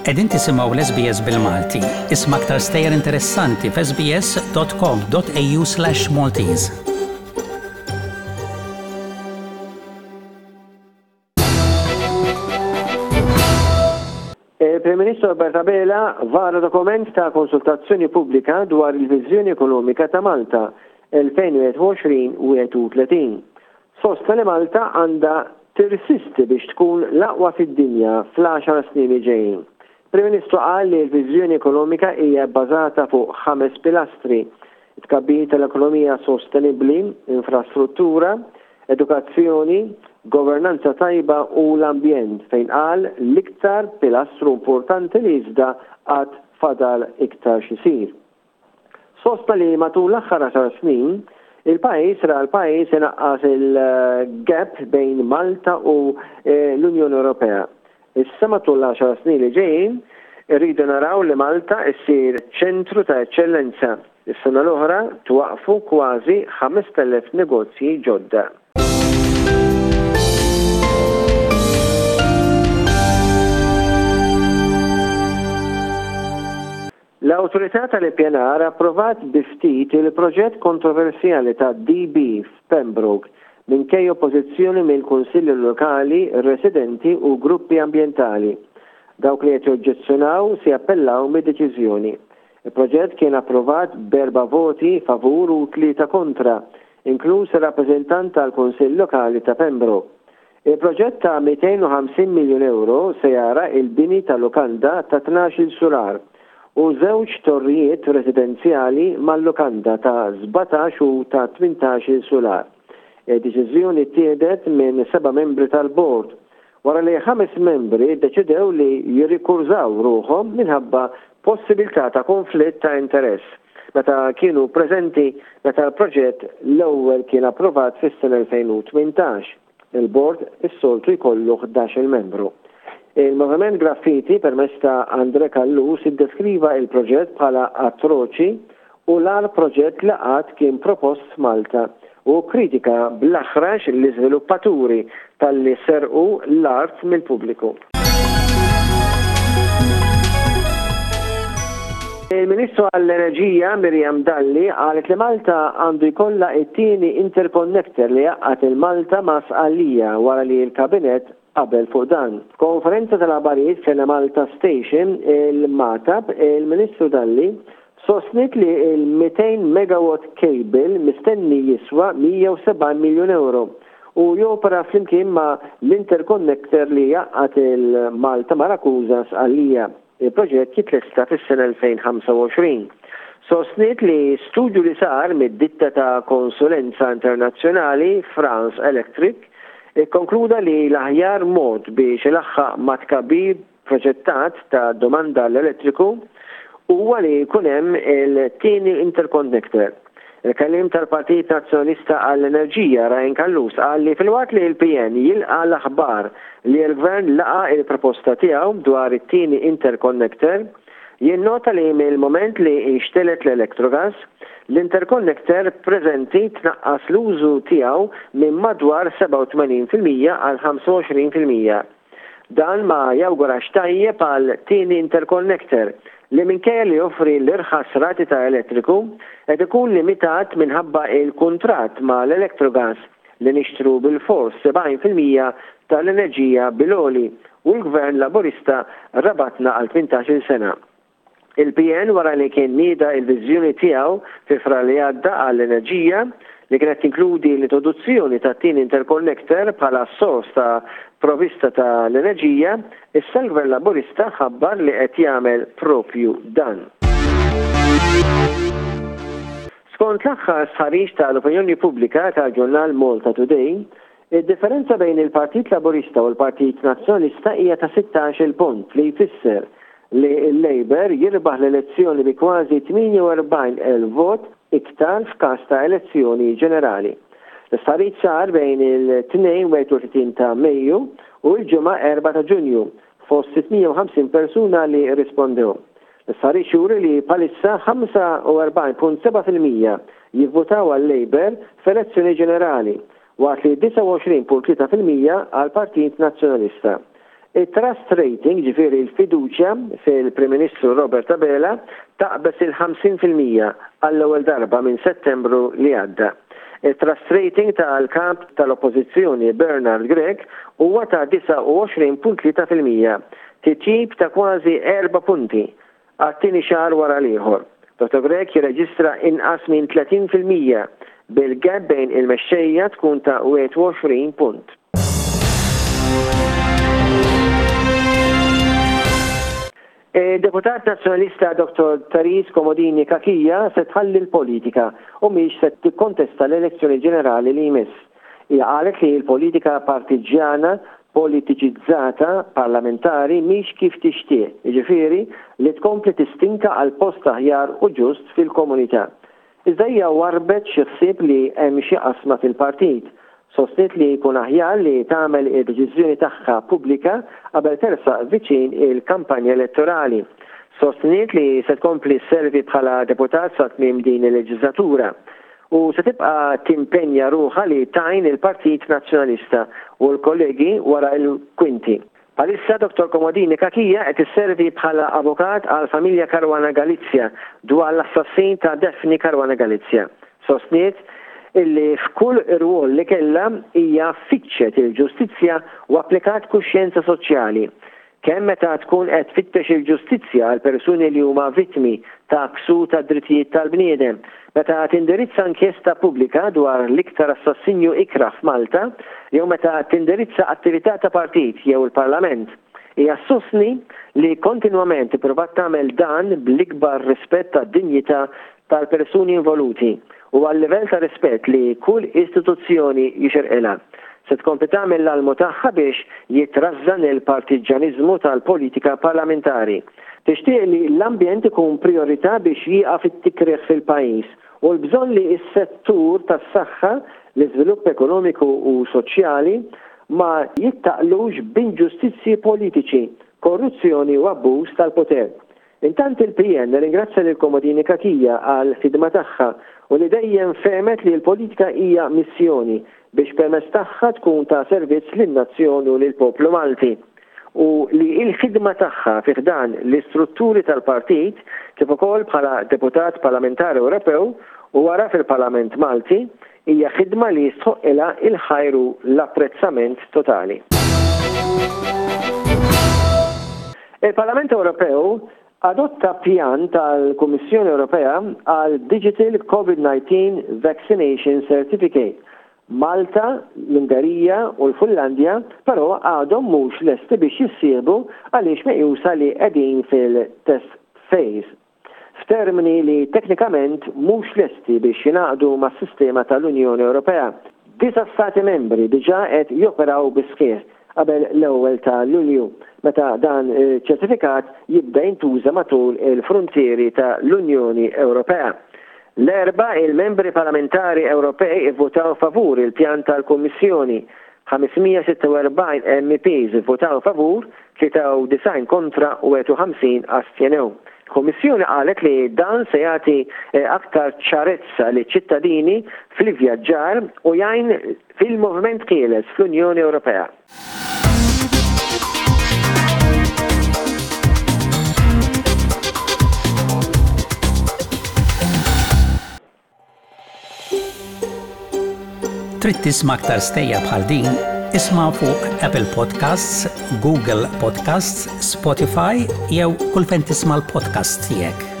Qegħdin tisimgħu l-SBS bil-Malti. Isma' aktar stejjer interessanti f'sbs.com.au/Maltese. Il-Prim Ministru Robert Abela vara dokument ta' konsultazzjoni pubblika dwar il-viżjoni ekonomika ta' Malta 2021-31. Sostna li Malta għandha tirsisti biex tkun l-aqwa fid-dinja fl-għaxar snin li ġejjin. Prim Ministru qal li l-viżjoni ekonomika hija bbażata fuq ħames pilastri, it-tkabbir tal-ekonomija sostenibbli, infrastruttura, edukazzjoni, governanza tajba u l-ambjent fejn qal l-iktar pilastru importanti li iżda għad fadal iktar x'isir. Sostna li matul l-aħħar għaxar snin, il-pajjiż ra l-pajjiż inaqqas il-gap bejn Malta u l-Unjoni Ewropea. Issa matul l-għaxar snin li ġejjin, irridu naraw li Malta ssir ċentru ta' eċċellenza. Is-sena l-oħra twaqqfu kważi 5,000 negozji ġodda. L-Awtorità tal-Ippjanar approvat bi ftit il-proġett kontroversjali ta' DB f'Pembroke minkejja oppożizzjoni mill-kunsilli lokali, residenti u gruppi ambjentali. Dawk li qed joġġezzjonaw se jappellaw mid-deċiżjoni. Il-proġett kien approvat b'erba' voti favur u tlieta kontra, inkluż ir-rappreżentant tal-Kunsill Lokali ta' Pembroke. Il-proġett ta' 250 miljun ewro se jara l-bini ta' lukanda ta' 12-il sular u żewġ torrijiet residenzjali mal-lukanda ta' 17 u ta' 18-il sular. Id-deċiżjoni ttieħdet minn seba' membri tal-bord wara li ħames membri ddeċidew li jirrikurżaw ruħhom minħabba possibilità ta' konflitt ta' interess meta kienu preżenti meta l-proġett l-ewwel kien approvat fis-sena 2018. Il-bord is-soltu jkollu 11-il membru. Il-Moviment Graffiti permezz ta' André Callus iddeskriva il-proġett bħala atroċi u l-agħar proġett li qatt kien propost f'Malta u kkritika bl-aħrax l-iżviluppaturi talli serqu l-art mill-pubbliku. Il-Ministru għall-Enerġija Miriam Dalli qalet li Malta għandu jkollha t-tieni interconnector li jgħaqqad il-Malta ma' Sqallija wara li l-Kabinett qabel fuq dan. F'konferenza tal-aħbarijiet fl-Enemalta Station, il-Magħtab, il-Ministru Dalli sostniet li l-200 megawatt cable mistenni jiswa 170 miljun ewro u jopera flimkien ma' l-interconnector li jgħaqqad il-Malta ma' Rakusa Sqallija. Il-proġett jitlesta fis-sena 2025. Sostniet li studju li sar mid-ditta ta' konsulenza internazzjonali France Electric ikkonkluda li l-aħjar mod biex ilaħħaq mat-tkabbir proġettat ta' domanda għall-elettriku huwa li jkun hemm il-tieni interconnector. Il-Kelliem tal-Partit Nazzjonalista għall-Enerġija, Ryan Callus, qal li filwaqt li l-PN jilqa' l-aħbar li l-Gvern laqa' il-proposta tiegħu dwar it-tieni interconnector, jinnota li mill-mument li nxtelgħet l-Electrogas, l-interconnector preżenti tnaqqas l-użu tiegħu minn madwar 87% għal 25%. Dan ma jawgurax tajjeb għal tieni interconnector li minkejja li joffri l-irħas rati ta' elettriku, qed ikun limitat minħabba il-kuntratt ma' l-Electrogas li nixtru bilfors 70% ta' l-enerġija bil-għoli u l-Gvern Laburista rabatna għal 18-il sena. Il-PN wara li kien nieda il-viżjoni tiegħu fi Frar li għadda għall-enerġija, li kienet tinkludi l-introduzzjoni tat-tieni interconnector bħala sors ta' provista ta' l-enerġija, issa l-Gvern Laburista ħabbar li qed jagħmel proprju dan. Skont l-aħħar stħarriġ ta' l-opinjoni pubblika tal-ġurnal Malta Today, id-differenza bejn il-Partit Laburista u l-Partit Nazzjonalista hija ta' 16-il punt li jfisser li l-Labour jirbaħ l-elezzjoni bi kważi 48,000 vot iktar f'każ ta' elezzjoni ġenerali. L-istħarriġ sar bejn il-Tnejn 31 ta' Mejju u l-Ġimgħa 4 ta' Ġunju fost 650 persuna li rrispondew. L-istħarriġ juri li bħalissa 45.7% jivvutaw għal-Labour f'elezzjoni ġenerali waqt li 29.3% għall-Partit Nazzjonalista. It-trust rating, jiġifieri l-fiduċja fil-Prim Ministru Robert Abela, taqbeż il-50% għall-ewwel darba minn Settembru li għadda. It-trust rating tal-Kap tal-Oppożizzjoni Bernard Grech huwa ta' 29.3%, titjib ta' kważi erba' punti għat-tieni xahar wara l-ieħor. Dottor Grech jirreġistra inqas minn 30%, bil-gap bejn il-mexxejja tkun ta' 21 punt. Id-Deputat Nazzjonalista Dottor Therese Comodini Cachia se tħalli l-politika u mhix se tikkontesta l-elezzjoni ġenerali li jmiss. Hija qalet li l-politika partiġġjana, politiċizzata, parlamentari mhix kif tixtieq, jiġifieri li tkompli tistinka għal post aħjar u ġust fil-komunità. Iżda hija warrbet xi ħsieb li hemm xi qasma fil-partit. Sostniet li jkun aħjar li tagħmel id-deċiżjoni tagħha pubblika qabel tersaq viċin il-kampanja elettorali. Sostniet li se tkompli sservi bħala deputat sa tmiem din il-leġiżlatura u se tibqa' timpenja ruħha li tgħin il-Partit Nazzjonalista u l-kollegi wara l-kwinti. Bħalissa Dottor Comodini Cachia qed isservi bħala avukat għall-familja Caruana Galizia dwar l-assassin ta' Daphne Caruana Galizia. Sostniet illi f'kull irwol li kellha hija fittxet il-ġustizzja u applikat kuxjenza soċjali. Kemm meta tkun qed tfittex il-ġustizzja għal persuni li huma vittmi ta' ksur tad-drittijiet tal-bniedem, meta tindirizza inkjesta pubblika dwar l-iktar assassinju ikrah f'Malta jew meta tindirizza attività ta' partit jew il-Parlament. Hija ssostni li kontinwament ipprovat tagħmel dan bl-ikbar rispett għad-dinjità tal-persuni involuti u għal-livell ta' rispett li kull istituzzjoni jixirqilha. Se tkompli tagħmel l-almu tagħha biex jitrażżan il-partiġġjaniżmu tal-politika parlamentari. Tixtieq li l-ambjent ikun prijorità biex jieqaf it-tikrih fil-pajjiż u l-bżonn li s-settur tas-saħħa, l-iżvilupp ekonomiku u soċjali ma jittaqlux b'inġustizzji politiċi, korruzzjoni u abbuż tal-poter. Intant il-PN ringrazzja lil Comodini Cachia għall-ħidma tagħha u li dejjem fehmet li l-politika hija missjoni biex permezz tagħha tkun ta' servizz lin-nazzjon u lill-poplu Malti u li l-ħidma tagħha fi ħdan l-istrutturi tal-partit kif ukoll bħala Deputat Parlamentari Ewropew u wara fil-Parlament Malti hija ħidma li jistħoqqilha l-ħajr u l-apprezzament totali. Il-Parlament Ewropew adotta pjan tal-Kummissjoni Ewropea għal Digital COVID-19 Vaccination Certificate. Malta, l-Ungerija u l-Finlandja però għadhom mhux lesti biex jissieħbu għaliex meqjusa li qegħdin fil-test phase. F'termini li teknikament mhux lesti biex jingħaqdu mas-sistema tal-Unjoni Ewropea. Disa' Stati Membri diġà qed joperaw bis-sħiħ qabel l-ewwel ta' Lulju, meta dan iċ-ċertifikat jibda jintuża matul il-fruntieri ta' l-Unjoni Ewropea. L-Erbgħa, il-Membri Parlamentari Ewropej ivvutaw favur il-pjan tal-Kummissjoni. 546 MEPs ivvutaw favur, 93 kontra u 51 astjenew. Il-Kummissjoni qalet li dan se jagħti aktar ċarezza liċ-ċittadini fl-ivvjaġġar u jgħin fil-moviment ħieles fl-Unjoni Ewropea. Trid tisma' aktar stejjer bħal din? Isma' fuq Apple Podcasts, Google Podcasts, Spotify jew kull fejn tisma' l-podcasts tiegħek.